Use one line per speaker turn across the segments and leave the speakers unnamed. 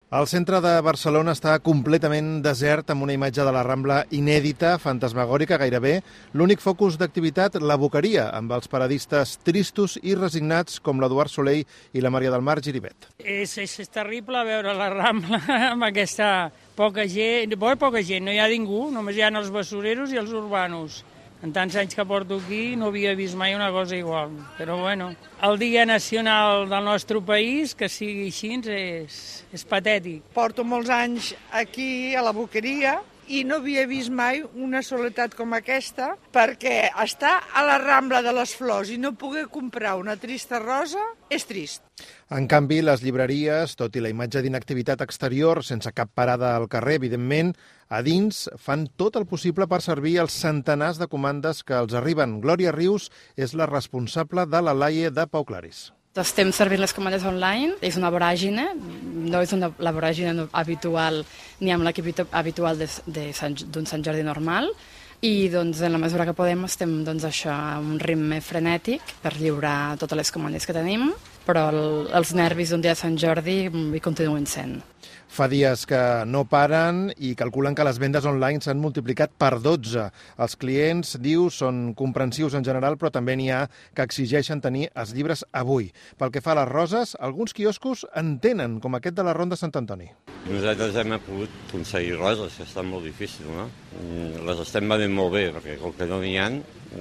El centre de Barcelona està completament desert, amb una imatge de la Rambla inèdita, fantasmagòrica gairebé. L'únic focus d'activitat, la Boqueria, amb els paradistes tristos i resignats com l'Eduard Soleil i la Maria del Mar Giribet.
És terrible veure la Rambla amb aquesta poca gent. Poca gent, no hi ha ningú, només hi ha els basureros i els urbanos. En tants anys que porto aquí no havia vist mai una cosa igual. Però bueno, el dia nacional del nostre país, que sigui així, és patètic.
Porto molts anys aquí a la Boqueria i no havia vist mai una soledat com aquesta, perquè estar a la Rambla de les Flors i no poder comprar una trista rosa és trist.
En canvi, les llibreries, tot i la imatge d'inactivitat exterior, sense cap parada al carrer, evidentment, a dins fan tot el possible per servir els centenars de comandes que els arriben. Glòria Rius és la responsable de la Laie de Pau Claris.
Estem servint les comandes online, és una voràgine, no és la voràgine habitual ni amb l'equip habitual d'un Sant Jordi normal, i doncs, en la mesura que podem estem això a un ritme frenètic per lliurar totes les comandes que tenim, però els nervis d'un dia de Sant Jordi hi continuen sent.
Fa dies que no paren i calculen que les vendes online s'han multiplicat per 12. Els clients, diu, són comprensius en general, però també n'hi ha que exigeixen tenir els llibres avui. Pel que fa a les roses, alguns quioscos en tenen, com aquest de la Ronda Sant Antoni.
Nosaltres hem pogut aconseguir roses, que està molt difícil, no? Les estem venent molt bé, perquè com que no n'hi ha,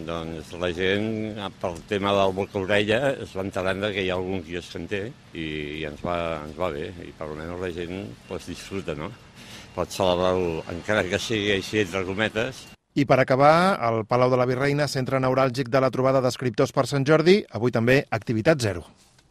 doncs la gent, pel tema del boca-orella, es va enterant que hi ha algun quiosc que en té i ens va bé, i per almenys la gent disfruta, no? Pot celebrar-ho, encara que sigui així entre cometes.
I per acabar, el Palau de la Virreina, centre neuràlgic de la trobada d'escriptors per Sant Jordi, avui també activitat zero.